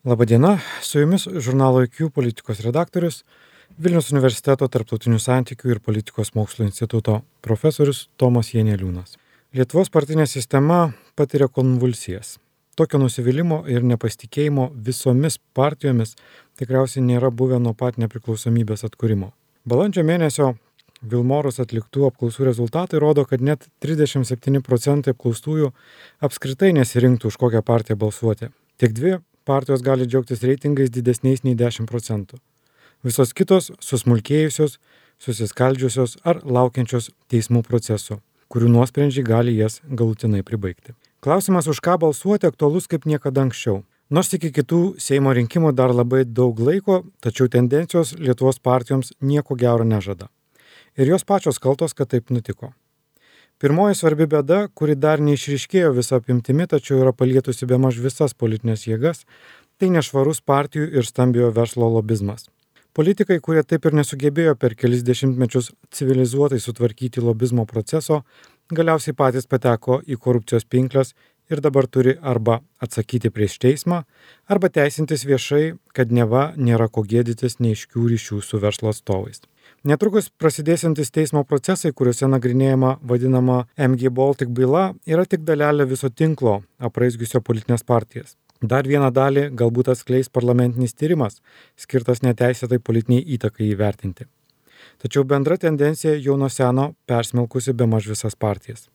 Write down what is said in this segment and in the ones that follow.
Labadiena, su jumis žurnalo IQ politikos redaktorius, Vilniaus universiteto tarptautinių santykių ir politikos mokslo instituto profesorius Tomas Janeliūnas. Lietuvos partinė sistema patiria konvulsijas. Tokio nusivylimo ir nepasitikėjimo visomis partijomis tikriausiai nėra buvę nuo pat nepriklausomybės atkūrimo. Balandžio mėnesio Vilmorus atliktų apklausų rezultatai rodo, kad net 37% apklaustųjų apskritai nesirinktų už kokią partiją balsuoti. Tik dvi partijos gali džiaugtis reitingais didesniais nei 10%. Visos kitos susmulkėjusios, susiskaldžiusios ar laukiančios teismų procesų, kurių nuosprendžiai gali jas galutinai pribaigti. Klausimas, už ką balsuoti, aktualus kaip niekada anksčiau. Nors iki kitų Seimo rinkimų dar labai daug laiko, tačiau tendencijos Lietuvos partijoms nieko gero nežada. Ir jos pačios kaltos, kad taip nutiko. Pirmoji svarbi bėda, kuri dar neišryškėjo visą apimtimi, tačiau yra palietusi bemaž visas politinės jėgas, tai nešvarus partijų ir stambiojo verslo lobizmas. Politikai, kurie taip ir nesugebėjo per kelis dešimtmečius civilizuotai sutvarkyti lobizmo proceso, galiausiai patys pateko į korupcijos pinkles ir dabar turi arba atsakyti prieš teismą, arba teisintis viešai, kad neva nėra ko gėdytis neaiškių ryšių su verslo atstovais. Netrukus prasidėsiantis teismo procesai, kuriuose nagrinėjama vadinama MG Baltic byla, yra tik dalelė viso tinklo apraizgiusio politinės partijas. Dar vieną dalį galbūt atskleis parlamentinis tyrimas, skirtas neteisėtai politiniai įtakai įvertinti. Tačiau bendra tendencija jau nuo seno persmelkusi bemaž visas partijas.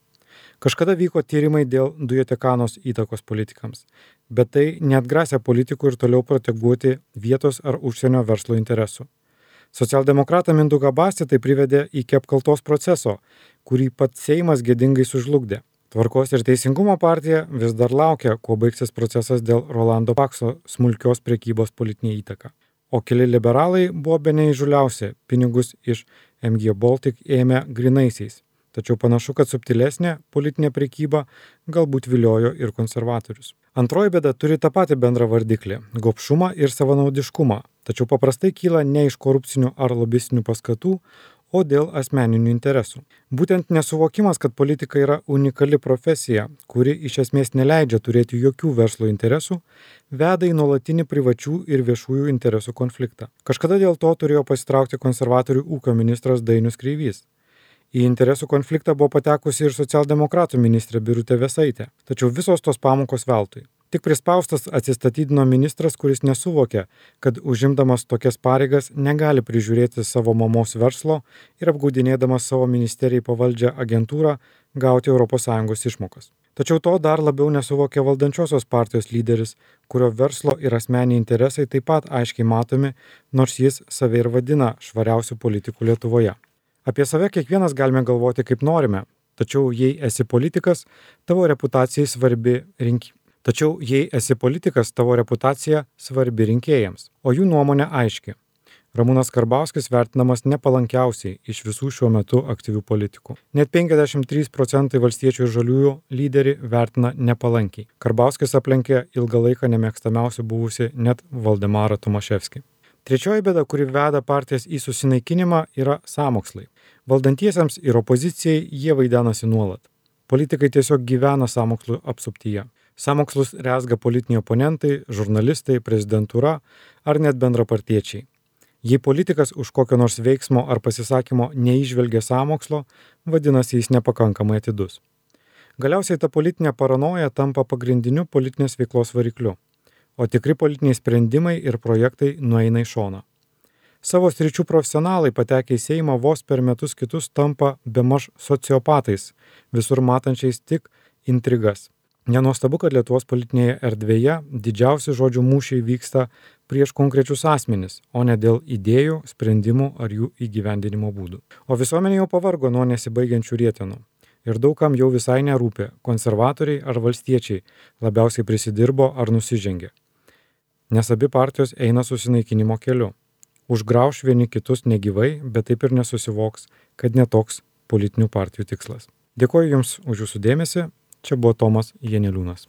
Kažkada vyko tyrimai dėl dujotekanos įtakos politikams, bet tai neatgrasė politikų ir toliau proteguoti vietos ar užsienio verslo interesų. Socialdemokratą Mindaugą Bastį tai privedė iki apkaltos proceso, kurį pats Seimas gėdingai sužlugdė. Tvarkos ir teisingumo partija vis dar laukia, kuo baigsis procesas dėl Rolando Pakso smulkios prekybos politinė įtaka. O keli liberalai buvo bene įžūliausi, pinigus iš MG Baltic ėmė grynaisiais. Tačiau panašu, kad subtilesnė politinė prekyba galbūt viliojo ir konservatorius. Antroji bėda turi tą patį bendrą vardiklį – gobšumą ir savanaudiškumą, tačiau paprastai kyla ne iš korupcinių ar lobistinių paskatų, o dėl asmeninių interesų. Būtent nesuvokimas, kad politika yra unikali profesija, kuri iš esmės neleidžia turėti jokių verslo interesų, veda į nuolatinį privačių ir viešųjų interesų konfliktą. Kažkada dėl to turėjo pasitraukti konservatorių ūkio ministras Dainius Kreivys. Į interesų konfliktą buvo patekusi ir socialdemokratų ministrė Birutė Vėsaitė, tačiau visos tos pamokos veltui. Tik prispaustas atsistatydino ministras, kuris nesuvokė, kad užimdamas tokias pareigas negali prižiūrėti savo mamos verslo ir apgaudinėdamas savo ministerijai pavaldžią agentūrą gauti ES išmokas. Tačiau to dar labiau nesuvokė valdančiosios partijos lyderis, kurio verslo ir asmeniai interesai taip pat aiškiai matomi, nors jis save ir vadina švariausiu politiku Lietuvoje. Apie save kiekvienas galime galvoti kaip norime, tačiau jei esi politikas, tavo reputacija svarbi rinkėjams, o jų nuomonė aiški. Ramūnas Karbauskis vertinamas nepalankiausiai iš visų šiuo metu aktyvių politikų. Net 53% valstiečių ir žaliųjų lyderį vertina nepalankiai. Karbauskis aplenkė ilgą laiką nemėgstamiausių buvusi net Valdemarą Tomaševskį. Trečioji bėda, kuri veda partijas į susinaikinimą, yra sąmokslai. Valdantiesiems ir opozicijai jie vaidenasi nuolat. Politikai tiesiog gyvena sąmokslų apsuptyje. Sąmokslus rezga politiniai oponentai, žurnalistai, prezidentūra ar net bendrapartiečiai. Jei politikas už kokio nors veiksmo ar pasisakymo neįžvelgia sąmokslo, vadinasi jis nepakankamai atidus. Galiausiai ta politinė paranoja tampa pagrindiniu politinės veiklos varikliu, o tikri politiniai sprendimai ir projektai nueina į šoną. Savo sričių profesionalai patekę į Seimą vos per metus kitus tampa bemaž sociopatais, visur matančiais tik intrigas. Nenuostabu, kad Lietuvos politinėje erdvėje didžiausi žodžių mūšiai vyksta prieš konkrečius asmenis, o ne dėl idėjų, sprendimų ar jų įgyvendinimo būdų. O visuomenė jau pavargo nuo nesibaigiančių rietenų. Ir daugam jau visai nerūpi, konservatoriai ar valstiečiai labiausiai prisidirbo ar nusižengė. Nes abi partijos eina susinaikinimo keliu. Užgrauš vieni kitus negyvai, bet taip ir nesusivoks, kad netoks politinių partijų tikslas. Dėkoju Jums už Jūsų dėmesį. Čia buvo Tomas Janeliūnas.